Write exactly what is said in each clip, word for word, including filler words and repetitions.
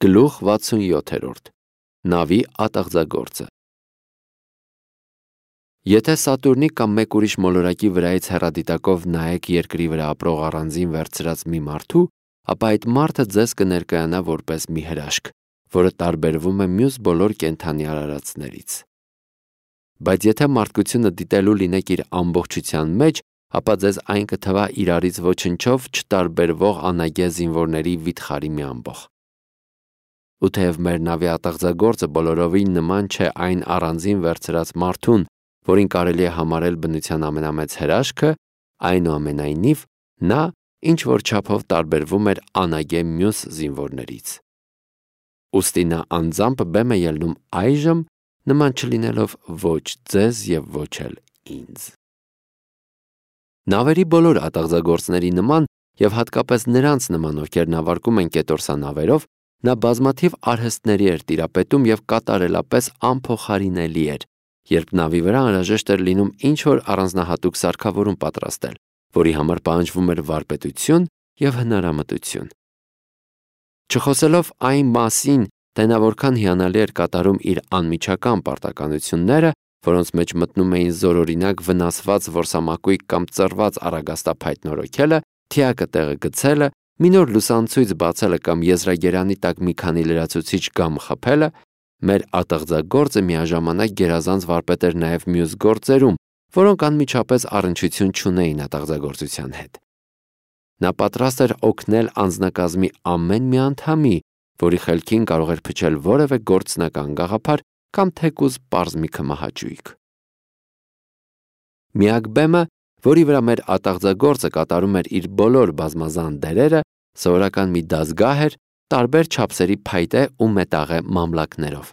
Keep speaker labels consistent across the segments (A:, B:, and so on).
A: Գլուխ վաթսունյոթերորդ Նավի ատաղձագործը Եթե Սատուրնի կամ մեկ ուրիշ մոլորակի վրայից հեռադիտակով նայեք երկրի վրա ապրող առանձին վերցրած մի մարդու, ապա այդ մարդը ձեզ կներկայանա որպես մի հրաշք, որը տարբերվում է մյուս բոլոր կենդանի արարածներից։ Բայց եթե մարդկությունը դիտելու լինեք իր ամբողջության մեջ, ապա ձեզ այն կթվա իրարից ոչնչով չտարբերվող անագե զինվորների վիթխարի մի ամբոխ։ Ու թեև մեր նավի ատաղձագործը բոլորովին նման չէ այն առանձին վերցրած մարդուն, որին կարելի է համարել բնության ամենամեծ հրաշքը, այնուամենայնիվ նա ինչ որ չափով տարբերվում էր անագե մյուս զինվորներից։ Ուստի նա անձամբ բեմ է ելնում այժմ, նման չլինելով ոչ ձեզ և ոչ էլ ինձ։ Նավերի բոլոր ատաղձագործների նման և հատկապես նրանց նման, ովքեր նավարկում են կետորսանավերով, նա բազմաթիվ արհեստների էր տիրապետում և կատարելապես անփոխարինելի էր, երբ նավի վրա անհրաժեշտ էր լինում ինչ-որ առանձնահատուկ սարքավորում պատրաստել, որի համար պահանջվում էր վարպետություն և հնարամտություն։ Չխոսելով այն մասին, թե նա որքան հիանալի էր կատարում իր անմիջական պարտականությունները, որոնց մեջ մտնում էին զորօրինակ վնասված որսամակույկ կամ ծռված առագաստափայտ նորոգելը, թիակը տեղը գցելը, մի նոր լուսանցույց բացելը կամ եզրագերանի տակ մի քանի լրացուցիչ գամ խփելը, մեր ատաղձագործը միաժամանակ գերազանց վարպետ էր նաև մյուս գործերում, որոնք անմիջապես առնչություն չունեին ատաղձագործության հետ։ Նա պատրաստ էր օգնել անձնակազմի ամեն մի անդամի, որի խելքին կարող էր փչել որևէ գործնական գաղափար կամ թեկուզ պարզ մի քմահաճույք։ Միակ բեմը, որի վրա մեր ատաղձագործը կատարում էր իր բոլոր բազմազան դերերը, սովորական մի դասգահ էր տարբեր չափսերի փայտե ու մետաղե մամլակներով։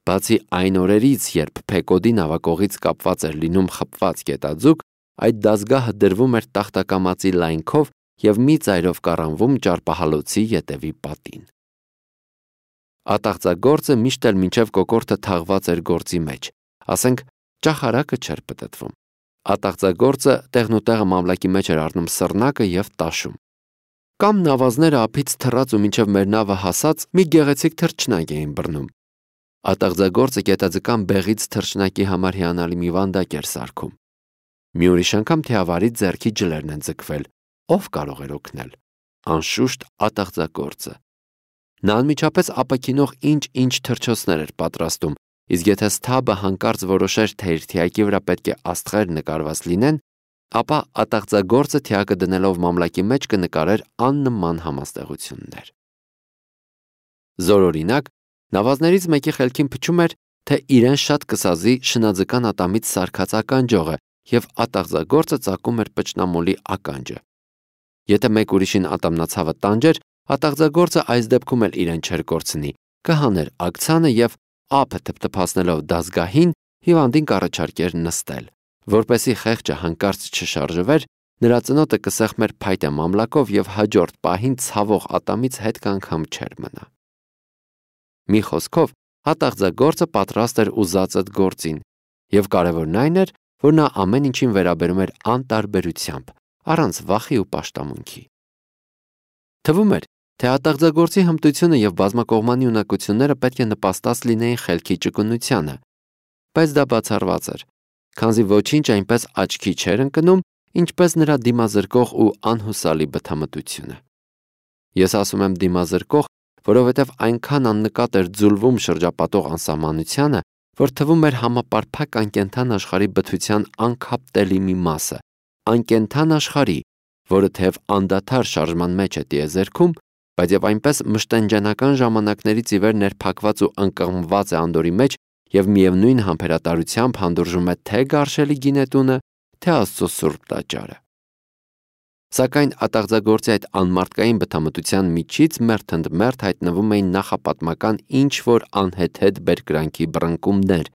A: Բացի այն օրերից, երբ Փեկոդի նավակողից կապված էր լինում խփված գետաձուկ, այդ դասգահը դրվում էր տախտակամածի լայնքով և մի ծայրով կառանվում ճարպահալոցի ետևի պատին։ Ատաղձագործը միշտ էլ մինչև կոկորդը թաղված էր գործի մեջ, ասենք ճախարակը չէր պտտվում։ Ատաղձագործը տեղնուտեղը մամլակի մեջ էր առնում սռնակը և տաշում։ Կամ նավազները ափից թռած ու մինչև մեր նավը հասած մի գեղեցիկ թռչնակ էին բռնում։ Ատաղձագործը գետաձկան բեղից թռչնակի համար հիանալի մի վանդակ էր սարքում։ Մի ուրիշ անգամ թիավարի ձեռքի ջլերն են ձգվել, ով կարող էր օգնել։ Անշուշտ ատաղձագործը։ Նա անմիջապես ապաքինող ինչ-ինչ թռչոցներ էր պատրաստում, իսկ եթե սթաբը հանկարծ որոշեր, թե իր թիակի վրա պետք է աստղեր նկարված լինեն, ապա ատաղձագործը թիակը դնելով մամլակի մեջ կնկարեր աննման համաստեղություններ։ Զորօրինակ, նավազներից մեկի խելքին փչում էր, թե իրեն շատ կսազի շնաձկան ատամից սարքած ականջողը, և ատաղձագործը ծակում էր պճնամոլի ականջը։ Եթե մեկ ուրիշին ատամնացավը տանջեր, ատաղձագործը այս դեպքում էլ իրեն չէր կորցնի, կհաներ ակցանը և ափը թփթփացնելով դասգահին հիվանդին կառաջարկեր նստել, որպեսզի խեղճը հանկարծ չշարժվեր, նրա ծնոտը կսեղմեր փայտե մամլակով և հաջորդ պահին ցավող ատամից հետ կանգամ չէր մնա։ Մի խոսքով, ատաղձագործը պատրաստ էր ուզածդ գործին, և կարևորն այն էր, որ նա ամեն ինչին վերաբերում էր անտարբերությամբ, առանց վախի ու պաշտամունքի։ Թվում էր, թե ատաղձագործի հմտությունը և բազմակողմանի ունակությունները պետք է նպաստած լինեին խելքի ճկունությանը, բայց դա բացառված էր, քանզի ոչինչ այնպես աչքի չէր ընկնում, ինչպես նրա դիմազրկող ու անհուսալի բթամտությունը։ Ես ասում եմ դիմազրկող, որովհետև այնքան աննկատ էր ձուլվում շրջապատող անսահմանությանը, որ թվում էր համապարփակ անկենդան աշխարհի բթության անքապտելի մի մասը, անկենդան աշխարհի, որը թեև անդադար շարժման մեջ է տիեզերքում, բայց և այնպես մշտենջանական ժամանակներից ի վեր ներփակված ու ընկղմված է անդորի մեջ և միևնույն համբերատարությամբ հանդուրժում է թե գարշելի գինետունը, թե Աստծո սուրբ տաճարը։ Սակայն ատաղձագործի այդ անմարդկային բթամտության միջից մերթ ընդ մերթ հայտնվում էին նախապատմական ինչ-որ անհեթեթ բերկրանքի բռնկումներ,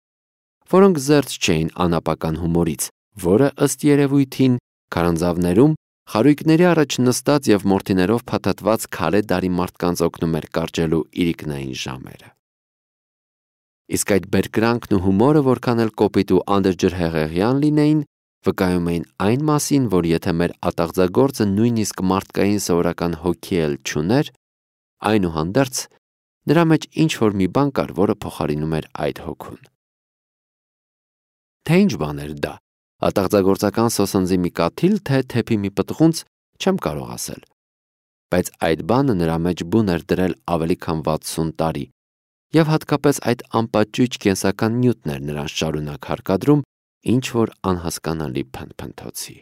A: որոնք զերծ չէին անապական հումորից, որը, ըստ երևույթին, քարանձավներում խարույկների առաջ նստած և մորթիներով փաթաթված քարե դարի մարդկանց օգնում էր կարճելու իրիկնային ժամերը։ Իսկ այդ բերկրանքն ու հումորը որքան էլ կոպիտ ու անդրջրհեղեղյան լինեին, վկայում էին այն մասին, որ եթե մեր ատաղձագործը նույնիսկ մարդկային սովորական հոգի էլ չուներ, Այնուհանդերձ, նրա մեջ ինչ-որ մի բան կար, որը փոխարինում էր այդ հոգուն։ Թե ինչ բան էր դա, ատաղձագործական սոսնձի մի կաթիլ, թե թեփի մի պտղունց, չեմ կարող ասել։ Բայց այդ բանը նրա մեջ բուն էր դրել ավելի քան վաթսուն տարի, եւ հատկապես այդ անպատճույճ կենսական նյութն էր նրան շարունակ հարկադրում ինչ-որ անհասկանալի փնփնթոցի։